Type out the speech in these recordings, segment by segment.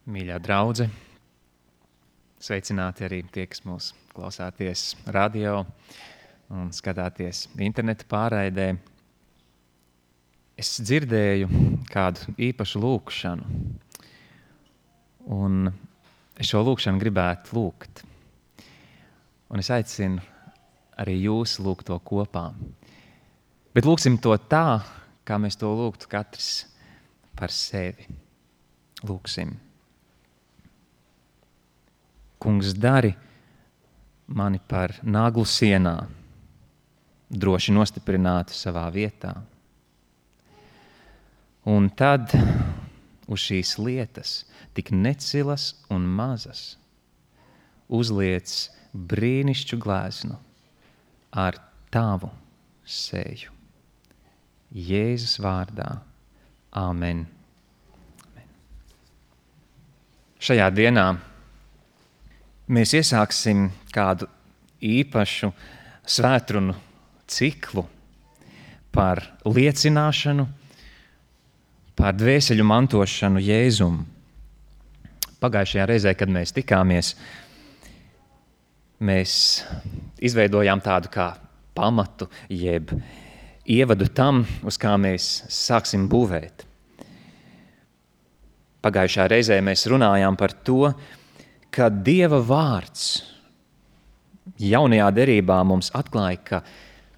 Mīļā draudze, sveicināti arī tie, kas mūs klausāties radio un skatāties interneta pārraidē. Es dzirdēju kādu īpašu lūkšanu, un es šo lūkšanu gribētu lūgt. Un es aicinu arī jūs lūgt to kopā. Bet lūksim to tā, kā mēs to lūgtu katrs par sevi. Lūksim. Kungs, dari mani par naglu sienā, droši nostiprinātu savā vietā. Un tad uz šīs lietas, tik necilas un mazas, uzliec brīnišķu gleznu ar tavu seju. Jēzus vārdā. Āmen. Šajā dienā mēs iesāksim kādu īpašu svētrunu ciklu par liecināšanu, par dvēseļu mantošanu Jēzum. Pagājušajā reizē, kad mēs tikāmies, mēs izveidojām tādu kā pamatu, jeb ievadu tam, uz kā mēs sāksim būvēt. Pagājušā reizē mēs runājām par to, ka Dieva vārds jaunajā derībā mums atklāja, ka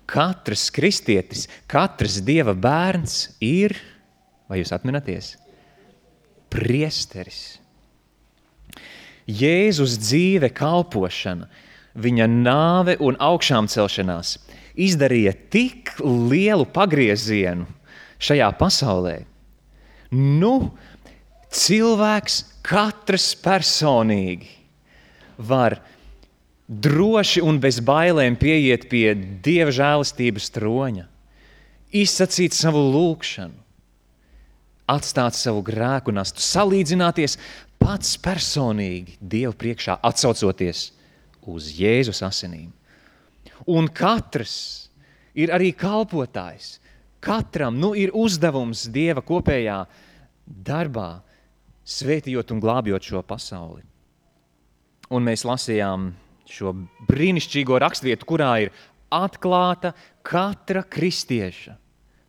katrs kristietis, katrs Dieva bērns ir, vai jūs atminaties, priesteris. Jēzus dzīve, kalpošana, viņa nāve un augšām celšanās izdarīja tik lielu pagriezienu šajā pasaulē. Cilvēks katrs personīgi var droši un bez bailēm pieiet pie Dieva žēlistības troņa, izsacīt savu lūgšanu, atstāt savu grēku nastu, salīdzināties pats personīgi Dievu priekšā, atsaucoties uz Jēzus asinīm. Un katrs ir arī kalpotājs. Katram ir uzdevums Dieva kopējā darbā, svētījot un glābjot šo pasauli. Un mēs lasījām šo brīnišķīgo rakstvietu, kurā ir atklāta katra kristieša,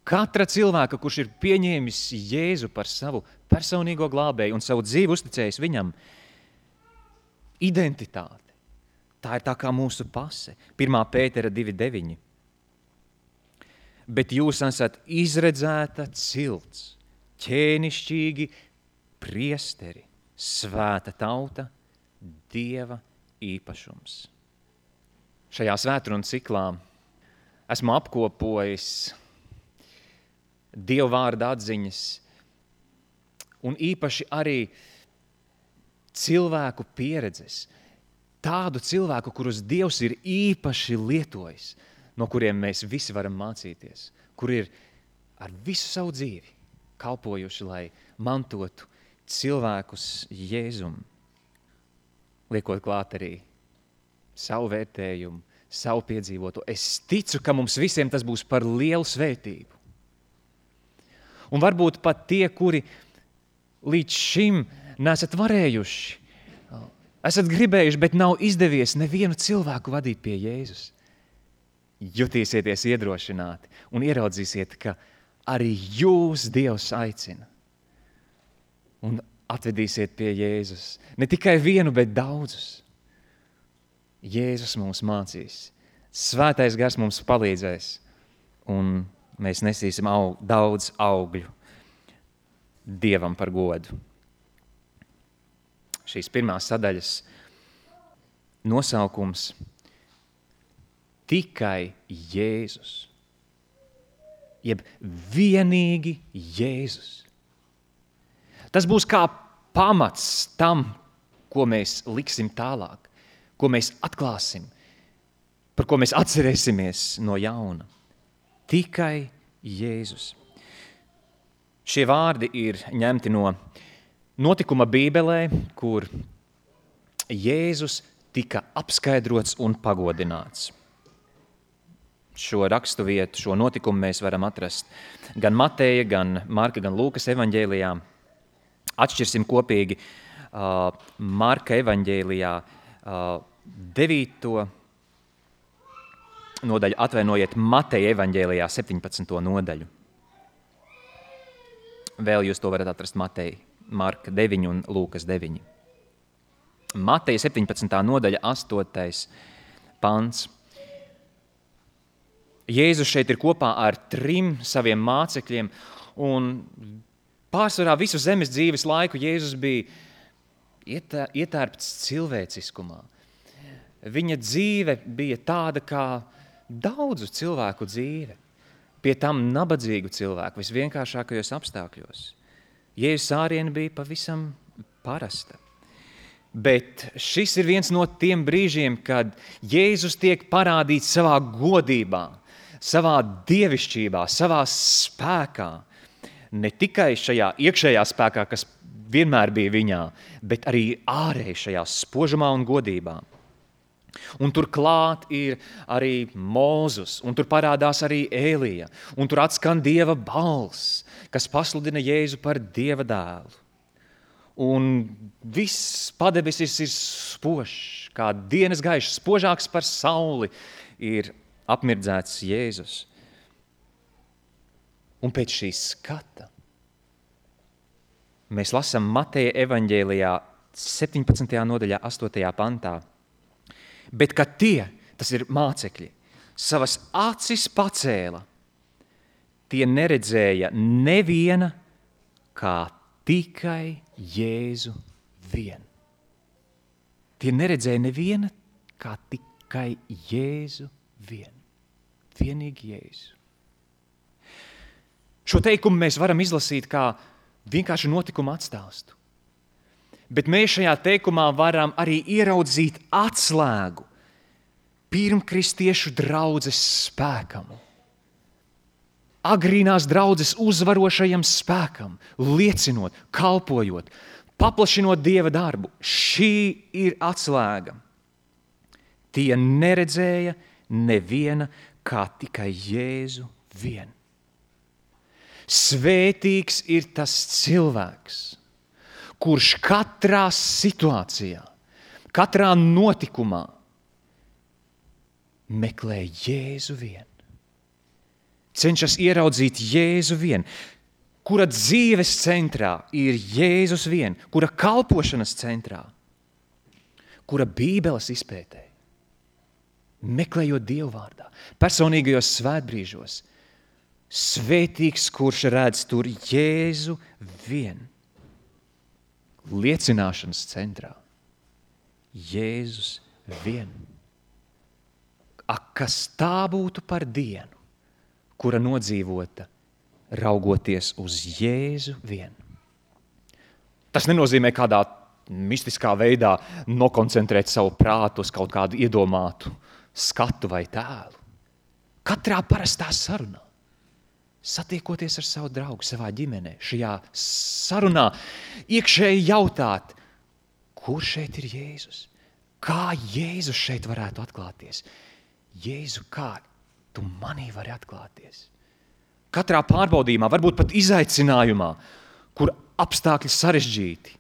katra cilvēka, kurš ir pieņēmis Jēzu par savu personīgo glābēju un savu dzīvi uzticējis viņam, identitāte. Tā ir tā kā mūsu pase. 1. Pētera 2.9. Bet jūs esat izredzēta cilts, ķēnišķīgi priesteri, svēta tauta, Dieva īpašums. Šajā svētrunu ciklā esmu apkopojis Dieva vārda atziņas un īpaši arī cilvēku pieredzes. Tādu cilvēku, kurus Dievs ir īpaši lietojis, no kuriem mēs visi varam mācīties, kur ir ar visu savu dzīvi kalpojuši, lai mantotu cilvēkus Jēzum, liekot klāt arī savu vērtējumu, savu piedzīvoto. Es ticu, ka mums visiem tas būs par lielu svētību. Un varbūt pat tie, kuri līdz šim nesat varējuši, esat gribējuši, bet nav izdevies nevienu cilvēku vadīt pie Jēzus. Jutīsieties iedrošināti un ieraudzīsiet, ka arī jūs Dievs aicina. Un atvedīsiet pie Jēzus. Ne tikai vienu, bet daudzus. Jēzus mums mācīs. Svētais gars mums palīdzēs. Un mēs nesīsim daudz augļu Dievam par godu. Šīs pirmās sadaļas nosaukums tikai Jēzus. Jeb vienīgi Jēzus. Tas būs kā pamats tam, ko mēs liksim tālāk, ko mēs atklāsim, par ko mēs atcerēsimies no jauna. Tikai Jēzus. Šie vārdi ir ņemti no notikuma Bībelē, kur Jēzus tika apskaidrots un pagodināts. Šo rakstu vietu, šo notikumu mēs varam atrast gan Mateja, gan Marka, gan Lūkas evaņģēlijā. Atšķirsim kopīgi Marka evaņģēlijā 9. nodaļu, atvainojiet, Mateja evaņģēlijā 17. nodaļu. Vēl jūs to varat atrast Mateja, Marka 9 un Lūkas 9. Mateja 17. nodaļa, 8. pants. Jēzus šeit ir kopā ar 3 saviem mācekļiem, un pārsvarā visu zemes dzīves laiku Jēzus bija ietērpts cilvēciskumā. Viņa dzīve bija tāda kā daudzu cilvēku dzīve, pie tam nabadzīgu cilvēku, visvienkāršākajos apstākļos. Jēzus āriena bija pavisam parasta. Bet šis ir viens no tiem brīžiem, kad Jēzus tiek parādīts savā godībā, savā dievišķībā, savā spēkā. Ne tikai šajā iekšējā spēkā, kas vienmēr bija viņā, bet arī ārēji šajā spožumā un godībā. Un tur klāt ir arī Mūzus, un tur parādās arī Ēlija, un tur atskan Dieva balss, kas pasludina Jēzu par Dieva dēlu. Un viss padebesis ir spožs, kā dienas gaišs, spožāks par sauli ir apmirdzēts Jēzus. Un pēc šī skata mēs lasām Mateja evaņģēlijā 17. nodaļā 8. pantā. Bet kad tie, tas ir mācekļi, savas acis pacēla, tie neredzēja neviena kā tikai Jēzu vien. Tie neredzēja neviena kā tikai Jēzu vien. Vienīgi Jēzu. Šo teikumu mēs varam izlasīt kā vienkārši notikumu atstāstu. Bet mēs šajā teikumā varam arī ieraudzīt atslēgu pirmkristiešu draudzes spēkam. Agrīnās draudzes uzvarošajam spēkam, liecinot, kalpojot, paplašinot Dieva darbu. Šī ir atslēga. Tie neredzēja neviena kā tikai Jēzu vien. Svētīgs ir tas cilvēks, kurš katrā situācijā, katrā notikumā meklē Jēzu vien. Cenšas ieraudzīt Jēzu vien, kura dzīves centrā ir Jēzus vien, kura kalpošanas centrā, kura Bībeles izpētē, meklējot Dievu vārdā, personīgajos svētbrīžos, svētīgs, kurš redz tur Jēzu vien. Liecināšanas centrā. Jēzus vien. Ak, kas tā būtu par dienu, kura nodzīvota, raugoties uz Jēzu vien. Tas nenozīmē kādā mistiskā veidā nokoncentrēt savu prātu uz kaut kādu iedomātu skatu vai tēlu. Katrā parastā sarunā, satiekoties ar savu draugu, savā ģimenē, šajā sarunā iekšēji jautāt, kur šeit ir Jēzus? Kā Jēzus šeit varētu atklāties? Jēzu, kā tu manī vari atklāties? Katrā pārbaudījumā, varbūt pat izaicinājumā, kur apstākļi sarežģīti,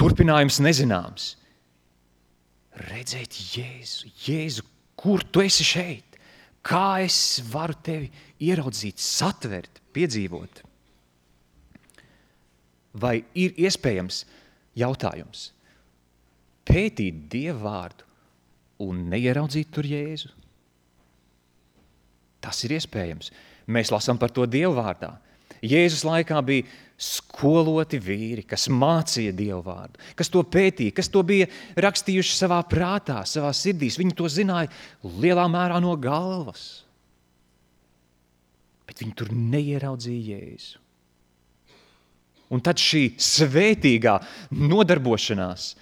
turpinājums nezināms, redzēt Jēzu, Jēzu, kur tu esi šeit? Kā es varu tevi ieraudzīt, satvert, piedzīvot? Vai ir iespējams jautājums pētīt Dieva vārdu un neieraudzīt tur Jēzu? Tas ir iespējams. Mēs lasām par to Dieva vārdā. Jēzus laikā bija skoloti vīri, kas mācīja Dievu vārdu, kas to pētīja, kas to bija rakstījuši savā prātā, savā sirdīs. Viņi to zināja lielā mērā no galvas. Bet viņi tur neieraudzīja Jēzu. Un tad šī svētīgā nodarbošanās,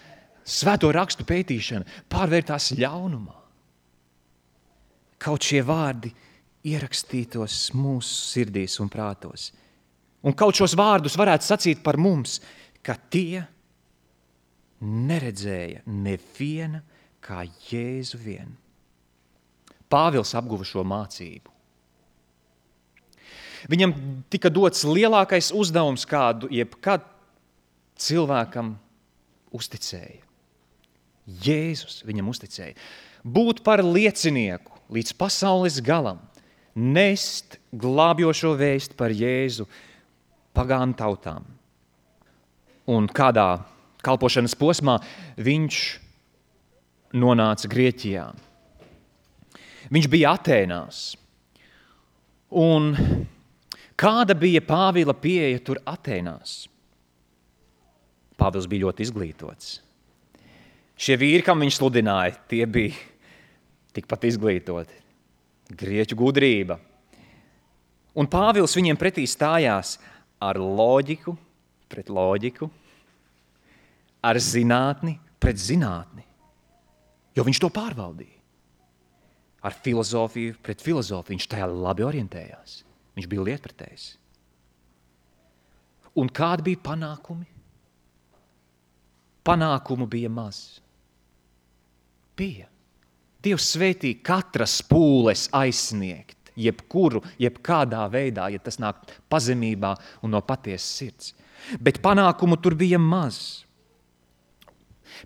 svēto rakstu pētīšana pārvērtās ļaunumā. Kaut šie vārdi ierakstītos mūsu sirdīs un prātos. Un kaut šos vārdus varētu sacīt par mums, ka tie neredzēja neviena kā Jēzu vien. Pāvils apguva šo mācību. Viņam tika dots lielākais uzdevums, kādu jebkad cilvēkam uzticēja. Jēzus viņam uzticēja. Būt par liecinieku līdz pasaules galam, nest glābjošo vēstu par Jēzu pagānu tautām. Un kādā kalpošanas posmā viņš nonāca Grieķijā. Viņš bija Atēnās. Un kāda bija Pāvila pieeja tur Atēnās? Pāvils bija ļoti izglītots. Šie vīri, kam viņš sludināja, tie bija tikpat izglītoti. Grieķu gudrība. Un Pāvils viņiem pretī stājās ar loģiku pret loģiku, ar zinātni pret zinātni, jo viņš to pārvaldīja. Ar filozofiju pret filozofiju viņš tajā labi orientējās. Viņš bija lietpratējs. Un kādi bija panākumi? Panākumu bija maz. Bija. Dievs svētīja katras pūles aizsniegt, jebkādā veidā, ja tas nāk pazemībā un no patiesas sirds. Bet panākumu tur bija maz.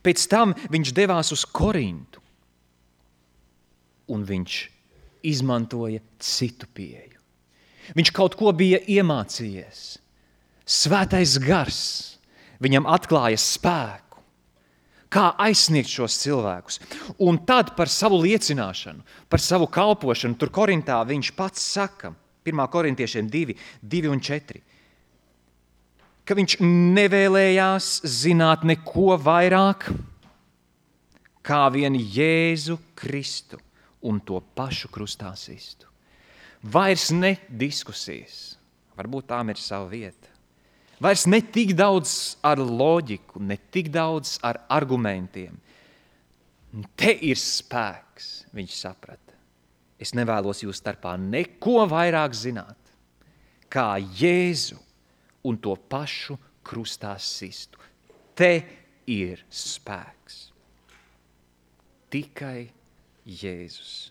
Pēc tam viņš devās uz Korintu, un viņš izmantoja citu pieeju. Viņš kaut ko bija iemācījies. Svētais gars viņam atklāja spēku, kā aizsniegt šos cilvēkus. Un tad par savu liecināšanu, par savu kalpošanu, tur Korintā viņš pats saka, 1. Korintiešiem 2:4, ka viņš nevēlējās zināt neko vairāk, kā vien Jēzu Kristu un to pašu krustā sistu. Vairs ne diskusijas, varbūt tām ir sava vieta. Vairs ne tik daudz ar loģiku, ne tik daudz ar argumentiem. Te ir spēks, viņš saprata. Es nevēlos jūs starpā neko vairāk zināt, kā Jēzu un to pašu krustā sistu. Te ir spēks. Tikai Jēzus.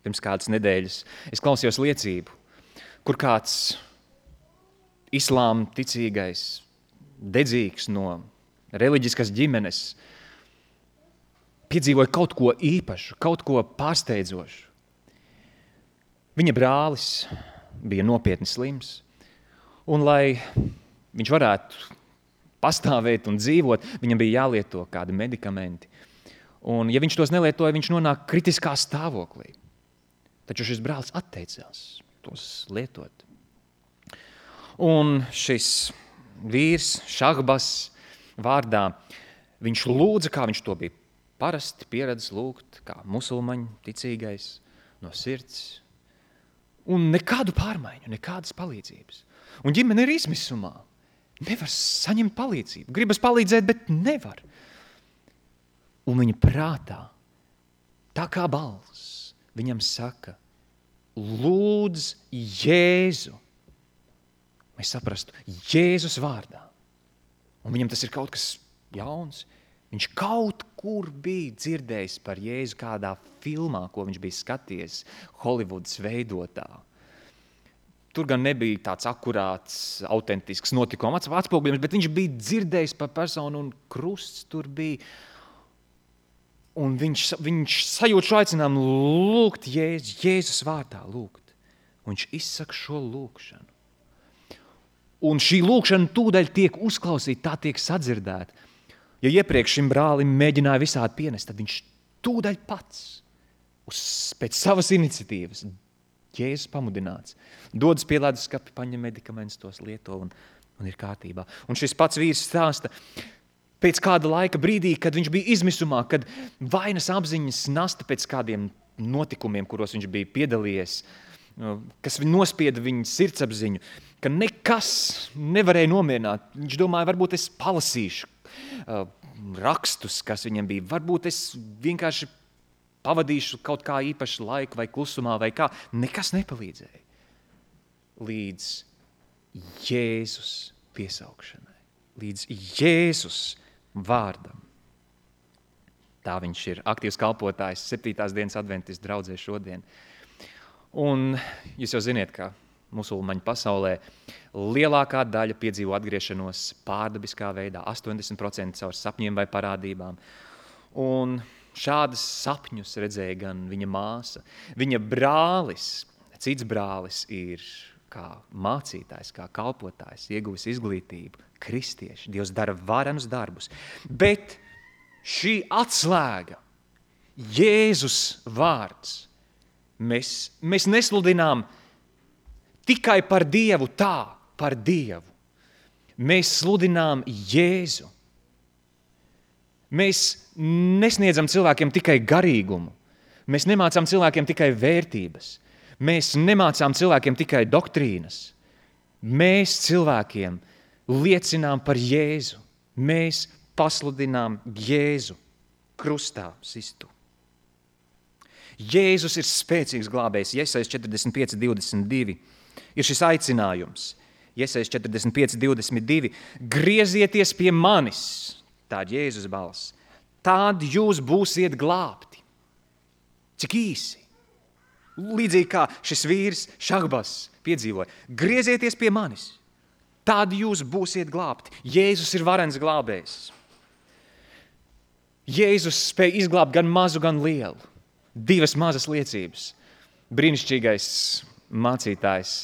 Pirms kādas nedēļas es klausījos liecību, kur kāds islāma ticīgais, dedzīgs no reliģiskas ģimenes, piedzīvoja kaut ko īpašu, kaut ko pārsteidzošu. Viņa brālis bija nopietni slims, un lai viņš varētu pastāvēt un dzīvot, viņam bija jālieto kādi medikamenti. Un ja viņš tos nelietoja, viņš nonāk kritiskā stāvoklī. Taču šis brālis atteicās tos lietot. Un šis vīrs, Šahbas vārdā, viņš lūdza, kā viņš to bija parasti pieredzis lūgt, kā musulmaņu ticīgais no sirds. Un nekādu pārmaiņu, nekādas palīdzības. Un ģimene ir izmisumā. Nevar saņemt palīdzību. Gribas palīdzēt, bet nevar. Un viņa prātā, tā kā balss, viņam saka, lūdz Jēzu. Mēs saprastu, Jēzus vārdā. Un viņam tas ir kaut kas jauns. Viņš kaut kur bija dzirdējis par Jēzu kādā filmā, ko viņš bija skaties Holivudas veidotā. Tur gan nebija tāds akurāts, autentisks notikuma atspoguļojums, bet viņš bija dzirdējis par personu un krusts tur bija. Un viņš sajūt šo aicinājumu lūgt Jēzus vārdā lūgt. Un viņš izsaka šo lūgšanu. Un šī lūgšana tūdaļ tiek uzklausīta, tā tiek sadzirdēta. Ja iepriekš šim brālim mēģināja visādi pienest, tad viņš tūdaļ pats pēc savas iniciatīvas, Jēzus pamudināts, dodas pie leduskapa, paņem medikamentus, tos lieto un ir kārtībā. Un šis pats vīrs stāsta, pēc kāda laika brīdī, kad viņš bija izmisumā, kad vainas apziņas nasta pēc kādiem notikumiem, kuros viņš bija piedalījies, kas nospieda viņa sirdsapziņu, ka nekas nevarēja nomierināt. Viņš domāja, varbūt es palasīšu rakstus, kas viņam bija. Varbūt es vienkārši pavadīšu kaut kā īpašu laiku vai klusumā vai kā. Nekas nepalīdzēja. Līdz Jēzus piesaukšanai. Līdz Jēzus vārdam. Tā viņš ir aktīvs kalpotājs 7. dienas adventistu draudzē šodien. Un jūs jau ziniet, ka musulmaņu pasaulē, lielākā daļa piedzīvo atgriešanos pārdabiskā veidā, 80% caur sapņiem vai parādībām. Un šādas sapņus redzēja gan viņa māsa, viņa brālis, cits brālis ir kā mācītājs, kā kalpotājs, ieguvis izglītību, kristieši, Dievs dara varenus darbus. Bet šī atslēga, Jēzus vārds, mēs nesludinām tikai par Dievu tā, par Dievu. Mēs sludinām Jēzu. Mēs nesniedzam cilvēkiem tikai garīgumu. Mēs nemācām cilvēkiem tikai vērtības. Mēs nemācām cilvēkiem tikai doktrīnas. Mēs cilvēkiem liecinām par Jēzu. Mēs pasludinām Jēzu krustā sistu. Jēzus ir spēcīgs glābējs. Jesajas 45:22 ir šis aicinājums. Jesajas 45:22 griezieties pie manis, tā ir Jēzus balss, tad jūs būsiet glābti. Cik īsi. Līdzīgi kā šis vīrs Šahbas piedzīvoja. Griezieties pie manis, tad jūs būsiet glābti. Jēzus ir varens glābējs. Jēzus spēja izglābt gan mazu, gan lielu. Divas mazas liecības. Brīnišķīgais mācītājs.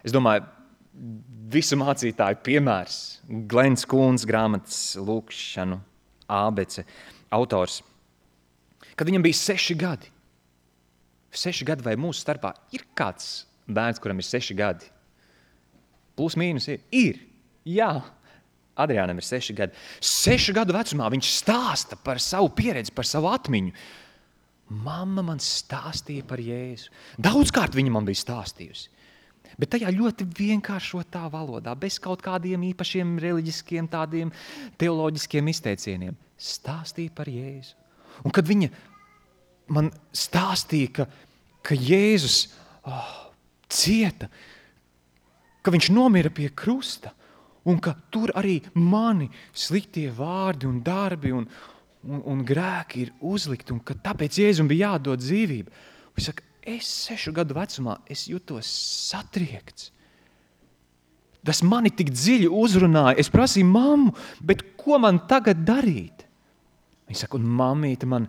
Es domāju, visu mācītāju piemērs. Glens Kūns grāmatas Lūkšanu ābece autors. Kad viņam bija 6 gadi. 6 gadi vai mūsu starpā ir kāds bērns, kuram ir 6 gadi? Plus mīnus ir? Ir. Jā. Adriānam ir 6 gadi. 6 gadu vecumā viņš stāsta par savu pieredzi, par savu atmiņu. Mamma man stāstīja par Jēzu. Daudzkārt viņa man bija stāstījusi. Bet tajā ļoti vienkāršotā valodā, bez kaut kādiem īpašiem reliģiskiem, tādiem teoloģiskiem izteicieniem. Stāstīja par Jēzu. Un kad viņa man stāstīja, ka Jēzus cieta, ka viņš nomira pie krusta, un ka tur arī mani sliktie vārdi un darbi un grēki ir uzlikti, un ka tāpēc Jēzum bija jādod dzīvība. Viņš saka, es 6 gadu vecumā, es jutos satriekts. Tas mani tik dziļi uzrunāja. Es prasīju mammu, bet ko man tagad darīt? Viņa saka, un mammīte man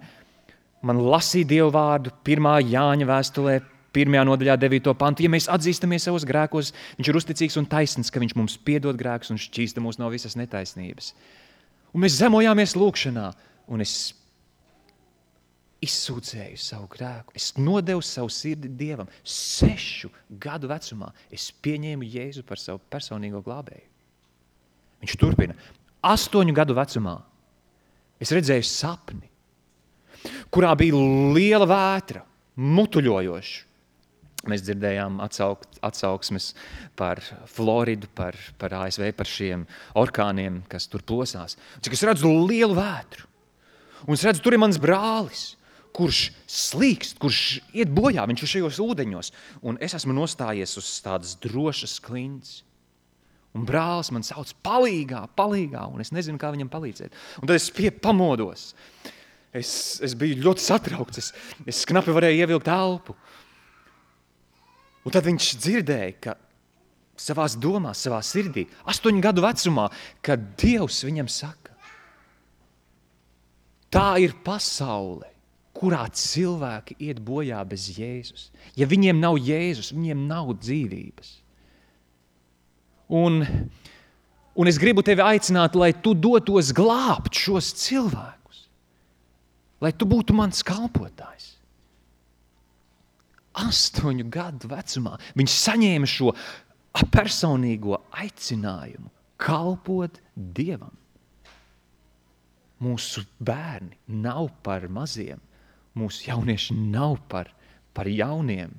lasīja Dievu vārdu 1. Jāņa vēstulē, 1. nodaļā 9. pantu. Ja mēs atzīstamies savos grēkos, viņš ir uzticīgs un taisns, ka viņš mums piedod grēkus un šķīsta mūs no visas netaisnības. Un mēs zemojāmies lūkšanā, un es izsūdzēju savu grēku. Es nodevu savu sirdi Dievam. 6 gadu vecumā es pieņēmu Jēzu par savu personīgo glābēju. Viņš turpina. 8 gadu vecumā es redzēju sapni, kurā bija liela vētra, mutuļojoša. Mēs dzirdējām atsauksmes par Floridu, par ASV, par šiem orkāniem, kas tur plosās. Cik es redzu lielu vētru. Un es redzu, tur ir mans brālis, kurš slīkst, kurš iet bojā, viņš ir šajos ūdeņos. Un es esmu nostājies uz tādas drošas klints. Un brālis man sauc palīgā, un es nezinu, kā viņam palīdzēt. Un tad es pamodos. Es biju ļoti satraukts, es knapi varēju ievilkt elpu. Un tad viņš dzirdēja, ka savās domās, savā sirdī, 8 gadu vecumā, kad Dievs viņam saka, tā ir pasaule, kurā cilvēki iet bojā bez Jēzus. Ja viņiem nav Jēzus, viņiem nav dzīvības. Un es gribu tevi aicināt, lai tu dotos glābt šos cilvēkus. Lai tu būtu mans kalpotājs. 8 gadu vecumā viņš saņēma šo personīgo aicinājumu kalpot Dievam. Mūsu bērni nav par maziem, mūsu jaunieši nav par jauniem.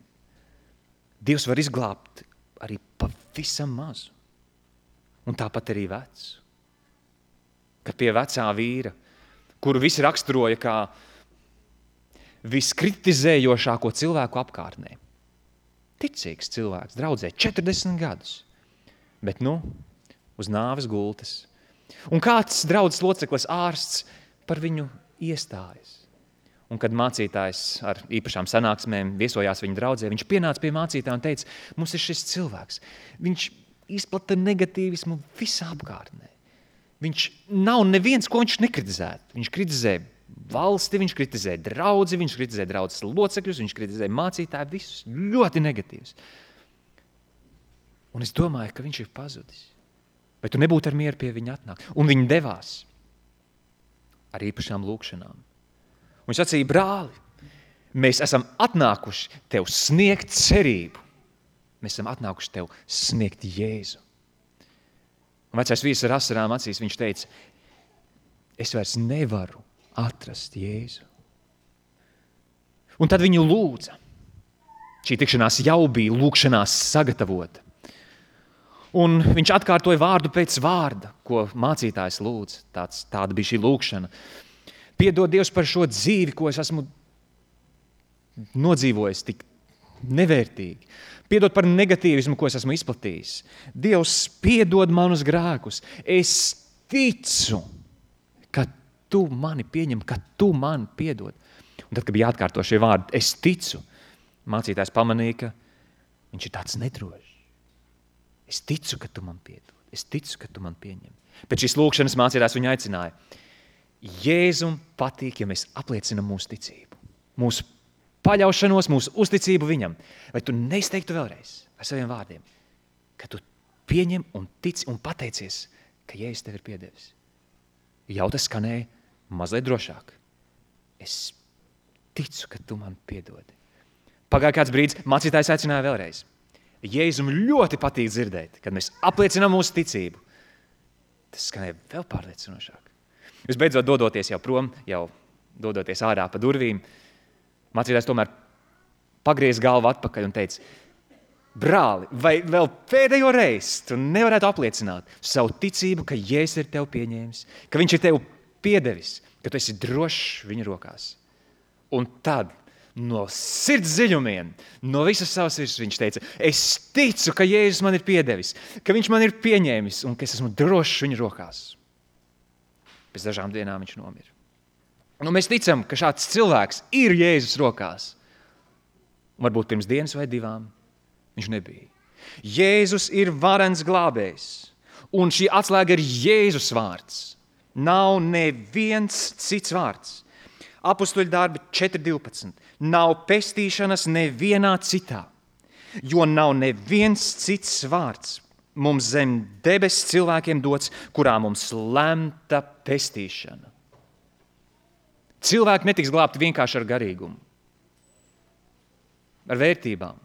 Dievs var izglābt arī pavisam mazu, un tāpat arī vecu. Kad pie vecā vīra, kuru visi raksturoja kā viskritizējošāko cilvēku apkārtnē. Ticīgs cilvēks, draudzē 40 gadus, bet uz nāves gultas. Un kāds draudzes loceklis ārsts par viņu iestājas. Un kad mācītājs ar īpašām sanāksmēm viesojās viņa draudzē, viņš pienāca pie mācītāja un teica, mums ir šis cilvēks. Viņš izplata negatīvismu visā apkārtnē. Viņš nav neviens, ko viņš nekritizētu. Viņš kritizē valsti, viņš kritizē draudzi, viņš kritizē draudzes locekļus, viņš kritizē mācītāju, visus ļoti negatīvs. Un es domāju, ka viņš ir pazudis. Vai tu nebūtu ar mieru pie viņa atnākt? Un viņi devās ar īpašām lūkšanām. Un viņš sacīja, brāli, mēs esam atnākuši tev sniegt cerību. Mēs esam atnākuši tev sniegt Jēzu. Un vecais vīrs ar asarām acīs, viņš teica, es vairs nevaru atrast Jēzu. Un tad viņu lūdza. Šī tikšanās jau bija lūkšanās sagatavota. Un viņš atkārtoja vārdu pēc vārda, ko mācītājs lūdz. Tāda bija šī lūkšana. Piedod Dievs par šo dzīvi, ko es esmu nodzīvojis tik nevērtīgi. Piedod par negatīvismu, ko es esmu izplatījis. Dievs, piedod manus grēkus. Es ticu, ka tu mani pieņem, ka tu mani piedod. Un tad, kad bija jāatkārto šie vārdi, es ticu, mācītājs pamanīja, ka viņš ir tāds nedrošs. Es ticu, ka tu man piedod. Es ticu, ka tu man pieņem. Pēc šīs lūkšanas mācītājs viņu aicināja. Jēzum patīk, ja mēs apliecinam mūsu ticību, mūsu paļaušanos, mūsu uzticību viņam. Vai tu neizteiktu vēlreiz ar saviem vārdiem, ka tu pieņem un tici un pateicies, ka Jēzus tev ir piedevis? Jau tas skanēja mazliet drošāk. Es ticu, ka tu man piedodi. Pagāja kāds brīdis, mācītājs aicināja vēlreiz. Jēzum ļoti patīk dzirdēt, kad mēs apliecinām mūsu ticību. Tas skanēja vēl pārliecinošāk. Visbeidzot, dodoties jau prom, jau dodoties ārā pa durvīm, mācītājs tomēr pagriez galvu atpakaļ un teica, brāli, vai vēl pēdējo reizi tu nevarētu apliecināt savu ticību, ka Jēzus ir tev pieņēmis, ka viņš ir tev piedevis, ka tu esi drošs viņa rokās. Un tad no sirds dziļumiem, no visas savas sirds viņš teica, es ticu, ka Jēzus man ir piedevis, ka viņš man ir pieņēmis un ka es esmu drošs viņa rokās. Pēc dažām dienām viņš nomira. Un mēs ticam, ka šāds cilvēks ir Jēzus rokās. Un varbūt pirms dienas vai divām viņš nebija. Jēzus ir varens glābējs. Un šī atslēga ir Jēzus vārds. Nav neviens cits vārds. Apostoļu darbi 4.12. Nav pestīšanas nevienā citā, jo nav neviens cits vārds mums zem debes cilvēkiem dots, kurā mums lemta pestīšana. Cilvēki netiks glābti vienkārši ar garīgumu, ar vērtībām,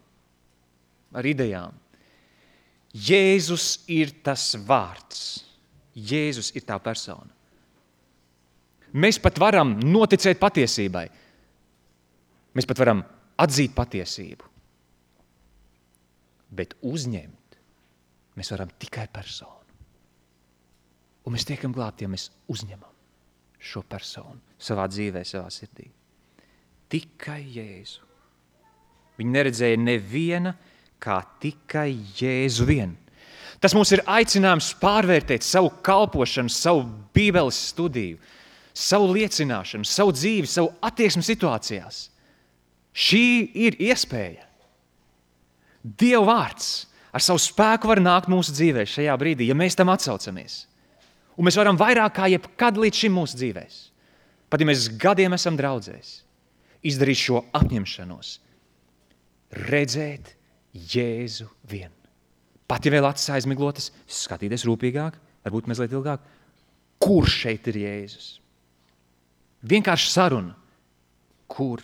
ar idejām. Jēzus ir tas vārds. Jēzus ir tā persona. Mēs pat varam noticēt patiesībai. Mēs pat varam atzīt patiesību. Bet uzņemt mēs varam tikai personu. Un mēs tiekam glābti, ja mēs uzņemam šo personu savā dzīvē, savā sirdī. Tikai Jēzu. Viņi neredzēja neviena kā tikai Jēzu vien. Tas mums ir aicinājums pārvērtēt savu kalpošanu, savu bībeles studiju, savu liecināšanu, savu dzīvi, savu attieksmi situācijās. Šī ir iespēja. Dieva vārds ar savu spēku var nākt mūsu dzīvē šajā brīdī, ja mēs tam atsaucamies. Un mēs varam vairāk kā jebkad līdz šim mūsu dzīvēs. Pat ja mēs gadiem esam draudzēs, izdarīt šo apņemšanos, redzēt Jēzu vien. Pat ja vēl acis aizmiglotas, skatīties rūpīgāk, varbūt mazliet ilgāk, kur šeit ir Jēzus? Vienkārši saruna, kur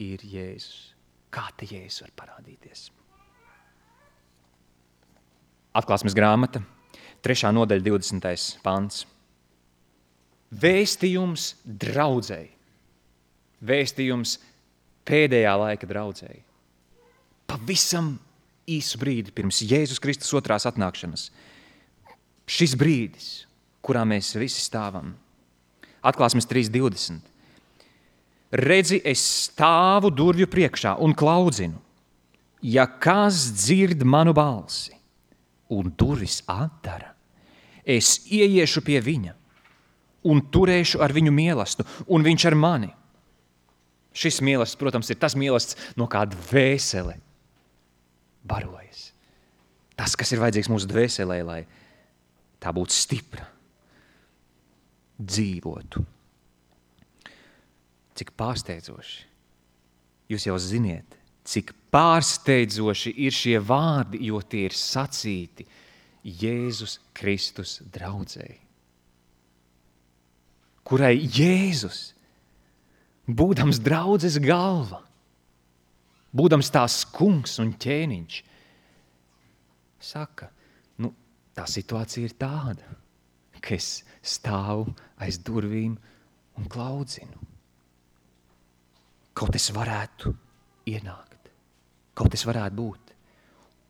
ir Jēzus? Kā te Jēzus var parādīties? Atklāsmes grāmata, 3. nodaļa, 20. pants. Vēstījums draudzei. Vēstījums pēdējā laika draudzei. Pavisam īsu brīdi pirms Jēzus Kristus otrās atnākšanas. Šis brīdis, kurā mēs visi stāvam. Atklāsmes 3.20. Redzi, es stāvu durvju priekšā un klaudzinu. Ja kas dzird manu balsi un durvis atdara, es ieiešu pie viņa un turēšu ar viņu mielastu, un viņš ar mani. Šis mīlestības, protams, ir tas mīlestības, no kā dvēsele barojas. Tas, kas ir vajadzīgs mūsu dvēselē, lai tā būtu stipra, dzīvotu. Cik pārsteidzoši. Jūs jau ziniet, cik pārsteidzoši ir šie vārdi, jo tie ir sacīti Jēzus Kristus draudzei, kurai Jēzus, būdams draudzes galva, būdams tās kungs un ķēniņš, saka, tā situācija ir tāda, ka es stāvu aiz durvīm un klaudzinu. Kaut es varētu ienākt, kaut es varētu būt,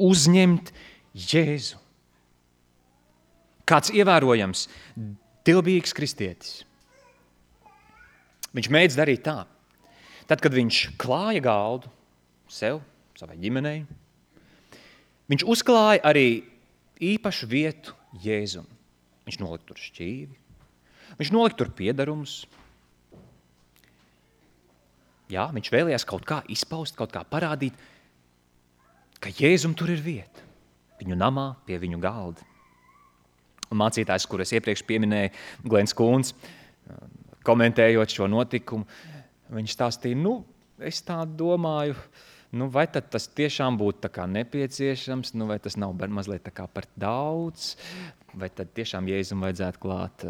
uzņemt Jēzu. Kāds ievērojams, dievbijīgs kristietis. Viņš mēdz darīt tā. Tad, kad viņš klāja galdu sev, savai ģimenei, viņš uzklāja arī īpašu vietu Jēzum. Viņš nolika tur šķīvi, viņš nolika tur piedarumus. Jā, viņš vēlējās kaut kā izpaust, kaut kā parādīt, ka Jēzum tur ir vieta. Viņu namā, pie viņu galda. Un mācītājs, kur es iepriekš pieminēju, Glens Kūns, komentējot šo notikumu, viņš stāstīja, es tā domāju, vai tad tas tiešām būtu tā kā nepieciešams, vai tas nav mazliet tā kā par daudz, vai tad tiešām Jēzum vajadzētu klāt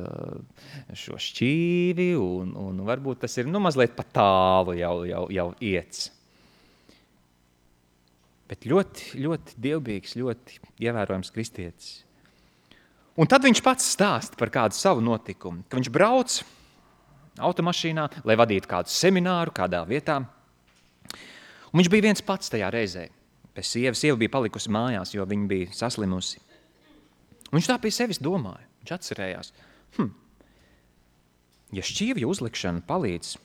šo šķīvi, un varbūt tas ir mazliet pa tālu jau iets. Bet ļoti, ļoti dievbijīgs, ļoti ievērojams kristietis. Un tad viņš pats stāsta par kādu savu notikumu, ka viņš brauc automašīnā, lai vadītu kādu semināru kādā vietā. Un viņš bija viens pats tajā reizē. Pēc sieva bija palikusi mājās, jo viņa bija saslimusi. Un viņš tā pie sevis domāja. Viņš atcerējās, ja šķīvja uzlikšana palīdz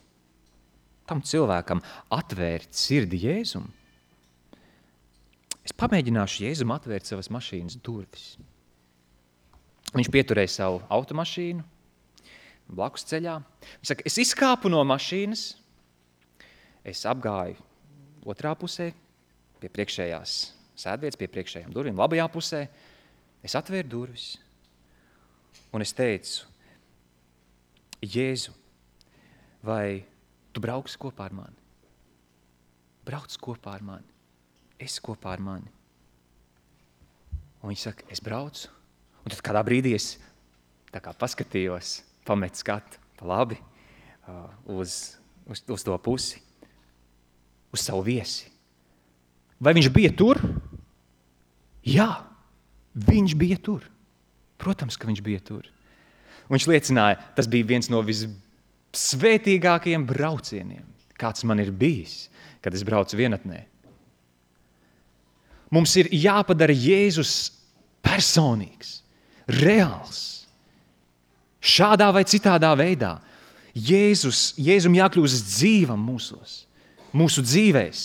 tam cilvēkam atvērt sirdi Jēzum, es pamēģināšu Jēzum atvērt savas mašīnas durvis. Viņš pieturēja savu automašīnu blakus ceļā. Viņš saka, es izkāpu no mašīnas, es apgāju otrā pusē, pie priekšējās sēdvietas, pie priekšējām durvīm, labajā pusē. Es atvēru durvis un es teicu, Jēzu, vai tu brauksi kopā ar mani? Brauc kopā ar mani. Es kopā ar mani. Un viņš saka, es braucu. Un tad kādā brīdī es tā kā paskatījos, pamet skatu pa labi uz to pusi, uz savu viesi. Vai viņš bija tur? Jā, viņš bija tur. Protams, ka viņš bija tur. Un viņš liecināja, tas bija viens no visvētīgākajiem braucieniem, kāds man ir bijis, kad es braucu vienatnē. Mums ir jāpadara Jēzus personīgs, reāls, šādā vai citādā veidā. Jēzum jākļūst dzīvam mūsu dzīvēs.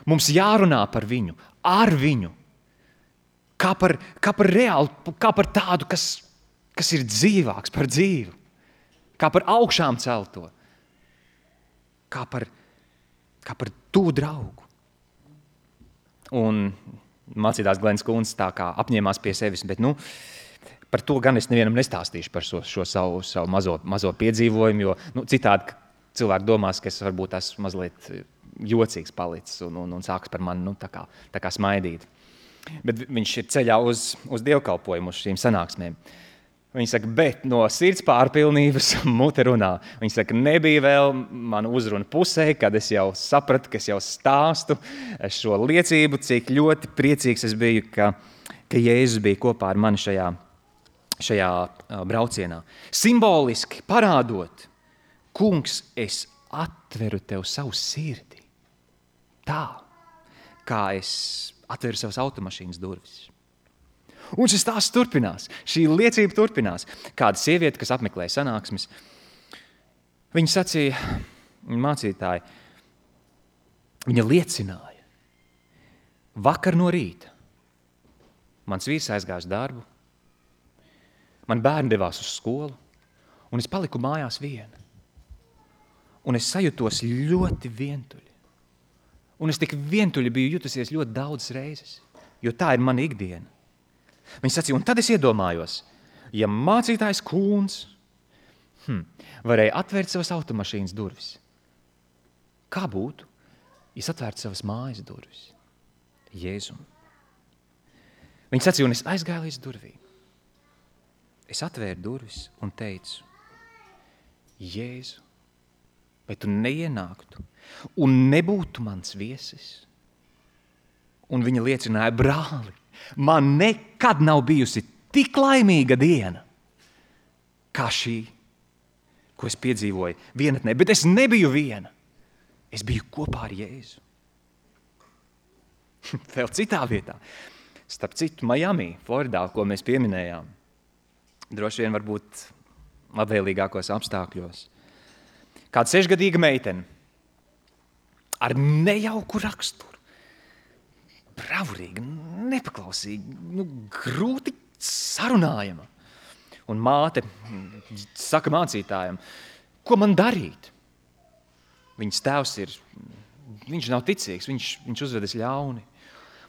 Mums jārunā par viņu, ar viņu, kā par reālu, kā par tādu, kas ir dzīvāks par dzīvu, kā par augšām celto, kā par tuvu draugu. Un mācītājs Glens Kūns tā kā apņēmās pie sevis, bet par to gan es nevienam nestāstīšu par šo savu mazo piedzīvojumu, jo citādi cilvēki domās, ka es varbūt esmu mazliet jocīgs palicis un sāks par mani tā kā smaidīt. Bet viņš ir ceļā uz dievkalpojumu, uz šīm sanāksmēm. Viņš saka, bet no sirds pārpilnības mute runā. Viņš saka, nebija vēl mana uzruna pusē, kad es jau sapratu, ka es jau stāstu šo liecību, cik ļoti priecīgs es biju, ka Jēzus bija kopā ar mani šajā braucienā. Simboliski parādot, kungs, es atveru tev savu sirdi. Tā, kā es atveru savas automašīnas durvis. Un šis stāsts turpinās, šī liecība turpinās. Kāda sieviete, kas apmeklēja sanāksmes, viņa sacīja, mācītāji, viņa liecināja. Vakar no rīta mans vīrs aizgāja uz darbu, man bērni devās uz skolu, un es paliku mājās viena. un es sajūtos ļoti vientuļi. Un es tik vientuļi biju jutusies ļoti daudzas reizes, jo tā ir mana ikdiena. Viņš sacīja, un tad es iedomājos, ja mācītājs Kūns varēja atvērt savas automašīnas durvis, kā būtu, ja es atvērtu savas mājas durvis? Jēzum. Viņš sacīja, un es aizgāju līdz durvīm. Es atvēru durvis un teicu, Jēzu, vai tu neienāktu un nebūtu mans viesis? Un viņa liecināja, brāli, man nekad nav bijusi tik laimīga diena, kā šī, ko es piedzīvoju vienatnē, bet es nebiju viena. Es biju kopā ar Jēzu. Vēl citā vietā, starp citu Miami, Floridā, ko mēs pieminējām, droši vien varbūt labvēlīgākos apstākļos. Kāda 6-gadīga meitene ar nejauku raksturu, bravurīga, nepaklausīga, grūti sarunājama. Un māte saka mācītājam, ko man darīt? Viņas tēvs viņš nav ticīgs, viņš uzvedas ļauni.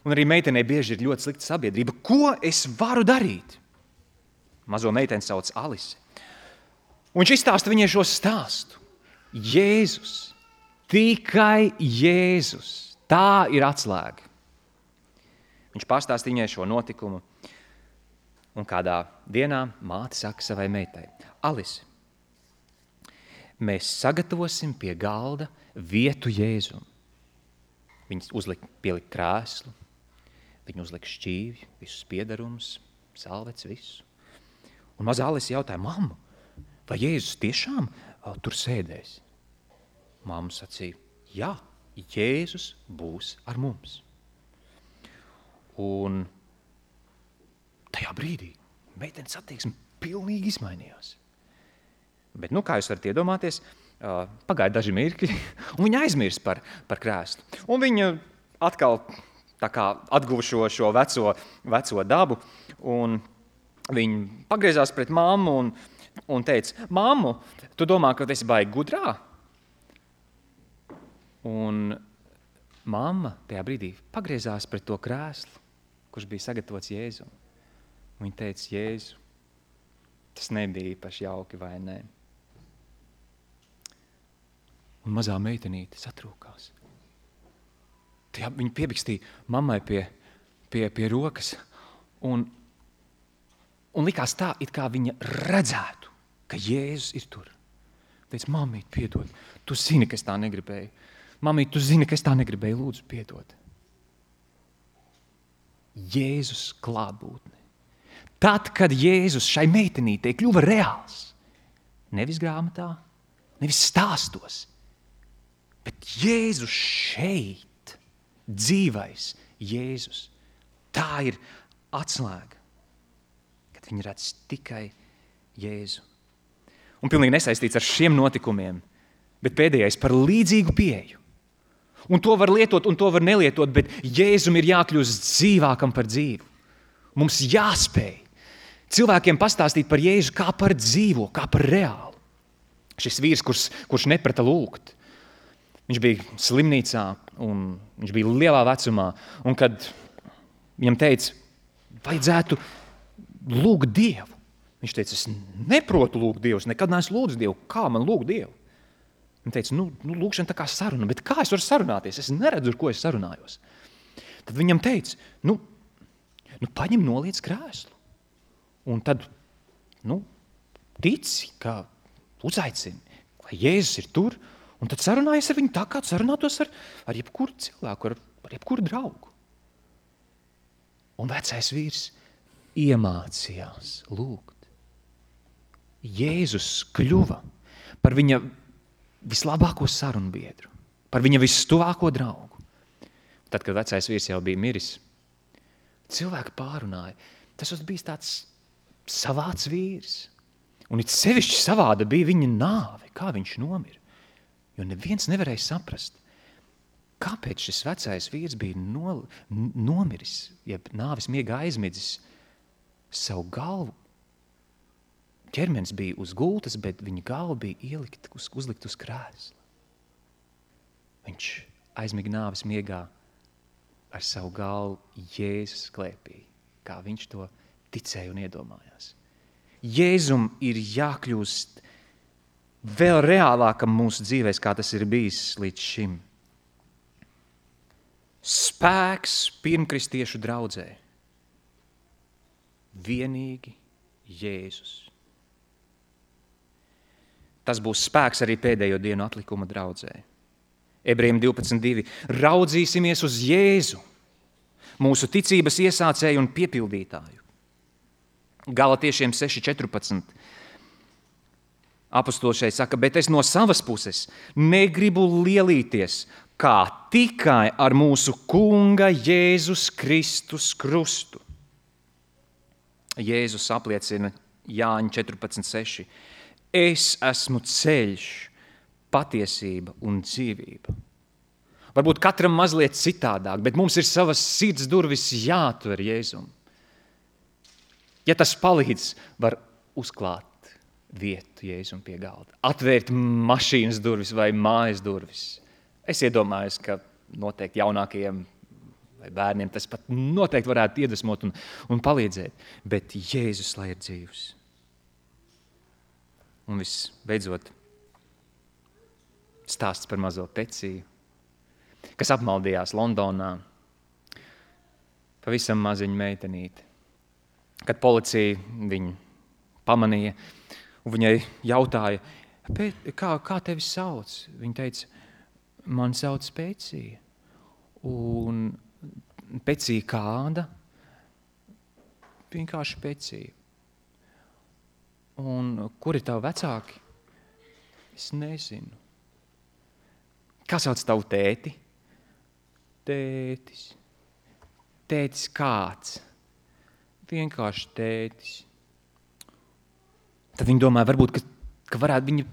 Un arī meitenei bieži ir ļoti slikta sabiedrība. Ko es varu darīt? Mazo meiteni sauc Alise. Un viņš izstāsta viņai šo stāstu. Jēzus, tikai Jēzus, tā ir atslēga. Viņš pastāsta viņai šo notikumu. Un kādā dienā māte saka savai meitai, Alise, mēs sagatavosim pie galda vietu Jēzum. Viņi pielika krēslu, viņi uzlika šķīvi, visus piedarumus, salvets, visu. Un mazā Alise jautāja, mamma, vai Jēzus tiešām tur sēdēs? Mamma sacīja, jā, Jēzus būs ar mums. Un tajā brīdī meitenes attieksme pilnīgi izmainījās. Bet, kā jūs varat iedomāties, pagāja daži mirkļi, un viņa aizmirst par krēslu. Un viņa atkal tā kā atguva šo veco dabu, un viņa pagriezās pret mammu un teica, mammu, tu domā, ka tu esi baigi gudrā? Un mamma tajā brīdī pagriezās pret to krēslu, kurš bija sagatavots Jēzum. Viņa teica, Jēzu, tas nebija īpaši jauki, vai ne? Un mazā meitenīte satrūkās. Viņa piebikstīja mammai pie rokas un likās tā, it kā viņa redzētu, ka Jēzus ir tur. Teica, mammīt, piedod, tu zini, ka es tā negribēju. Mammīt, tu zini, ka es tā negribēju, lūdzu, piedod. Jēzus klātbūtne. Tad, kad Jēzus šai meitenītei kļuva reāls, nevis grāmatā, nevis stāstos, bet Jēzus šeit, dzīvais Jēzus, tā ir atslēga, kad viņi redz tikai Jēzu. Un pilnīgi nesaistīts ar šiem notikumiem, bet pēdējais par līdzīgu pieeju. Un to var lietot, un to var nelietot, bet Jēzum ir jākļūst dzīvākam par dzīvu. Mums jāspēj cilvēkiem pastāstīt par Jēzu kā par dzīvo, kā par reālu. Šis vīrs, kurš neprata lūgt, viņš bija slimnīcā un viņš bija lielā vecumā. Un kad viņam teica, vajadzētu lūgt Dievu, viņš teica, es neprotu lūgt Dievu, es nekad neesmu lūdzu Dievu, kā man lūgt Dievu? Viņš teica, lūgšana tā kā saruna, bet kā es varu sarunāties? Es neredzu, ar ko es sarunājos. Tad viņam teica, paņem noliec krēslu. Un tad, tici, ka uzaicini, vai Jēzus ir tur, un tad sarunājies ar viņu tā, kā sarunātos ar jebkuru cilvēku, ar jebkuru draugu. Un vecais vīrs iemācījās lūgt. Jēzus kļuva par viņa vislabāko sarunbiedru, par viņa vistuvāko draugu. Tad, kad vecais vīrs jau bija miris, cilvēki pārunāja, tas bijis tāds savāds vīrs. Un it sevišķi savāda bija viņa nāve, kā viņš nomira. Jo neviens nevarēja saprast, kāpēc šis vecais vīrs bija nomiris, jeb nāves miega aizmidzis savu galvu. Ķermenis bija uz gultas, bet viņa galva bija uzlikt uz krēsla. Viņš aizmiga nāves miegā ar savu galvu Jēzus klēpī, kā viņš to ticēja un iedomājās. Jēzum ir jākļūst vēl reālākam mūsu dzīvēs, kā tas ir bijis līdz šim. Spēks pirmkristiešu draudzē. Vienīgi Jēzus. Tas būs spēks arī pēdējo dienu atlikuma draudzē. Ebrejiem 12:2. Raudzīsimies uz Jēzu, mūsu ticības iesācēju un piepildītāju. Galatiešiem 6:14. Apostols šeit saka, bet es no savas puses negribu lielīties, kā tikai ar mūsu Kunga Jēzus Kristus krustu. Jēzus apliecina Jāņa 14:6. Es esmu ceļš, patiesība un dzīvība. Varbūt katram mazliet citādāk, bet mums ir savas sirds durvis jāatver Jēzum. Ja tas palīdz, var uzklāt vietu Jēzum pie galda. Atvērt mašīnas durvis vai mājas durvis. Es iedomājos, ka noteikti jaunākajiem vai bērniem tas pat noteikti varētu iedvesmot un palīdzēt. Bet Jēzus, lai ir dzīvs. Un visbeidzot, stāsts par mazo Peciju, kas apmaldījās Londonā. Pavisam maziņa meitenīte. Kad policija viņu pamanīja un viņai jautāja, kā tevi sauc? Viņa teica, man sauc Pecija. Un Pecija kāda? Vienkārši Pecija. Un kur ir tavi vecāki? Es nezinu. Kā sauc tavu tēti? Tētis. Tētis kāds? Vienkārši tētis. Tad viņi domāja, varbūt, ka varētu viņa,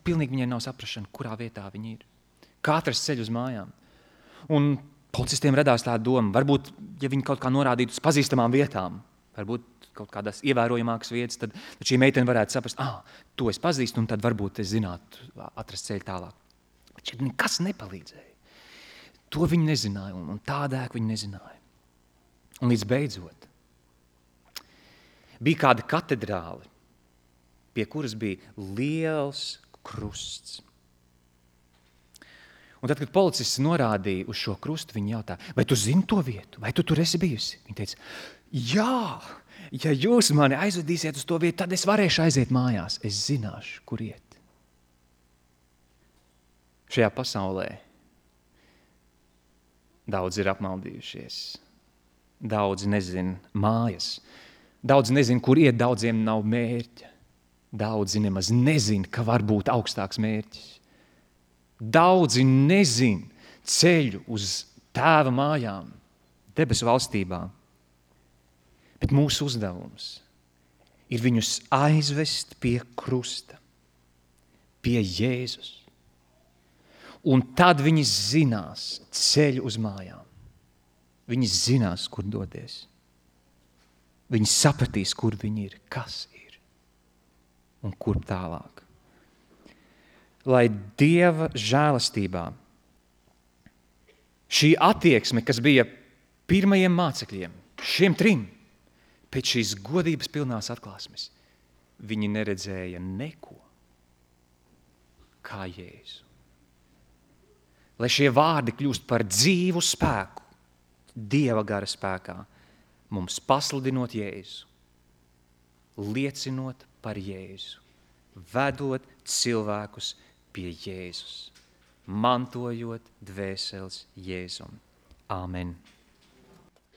pilnīgi viņai nav saprašana, kurā vietā viņa ir. Kā atrast ceļu uz mājām. Un policistiem radās tā doma, varbūt, ja viņi kaut kā norādītu uz pazīstamām vietām, varbūt kaut kādās ievērojamākas vietas, tad šī meitene varētu saprast, to es pazīstu, un tad varbūt es zinātu atrast ceļu tālāk. Bet šeit nekas nepalīdzēja. To viņi nezināja, un tādēļ viņi nezināja. Un līdz beidzot, bija kāda katedrāle, pie kuras bija liels krusts. Un tad, kad policists norādīja uz šo krustu, viņi jautā, vai tu zini to vietu, vai tu tur esi bijusi? Viņa teica, jā, ja jūs mani aizvedīsiet uz to vietu, tad es varēšu aiziet mājās. Es zināšu, kur iet. Šajā pasaulē daudz ir apmaldījušies. Daudz nezin mājas. Daudz nezin, kur iet, daudziem nav mērķa. Daudzi nemaz nezin, ka var būt augstāks mērķis. Daudzi nezin ceļu uz Tēva mājām, debesu valstībā. Bet mūsu uzdevums ir viņus aizvest pie krusta, pie Jēzus. Un tad viņi zinās ceļu uz mājām. Viņi zinās, kur doties. Viņi sapratīs, kur viņi ir, kas ir un kur tālāk. Lai Dieva žēlastībā šī attieksme, kas bija pirmajiem mācekļiem, šiem 3, pēc šīs godības pilnās atklāsmes, viņi neredzēja neko kā Jēzu. Lai šie vārdi kļūst par dzīvu spēku, Dieva gara spēkā, mums pasludinot Jēzu, liecinot par Jēzu, vedot cilvēkus pie Jēzus, mantojot dvēseles Jēzum. Āmen.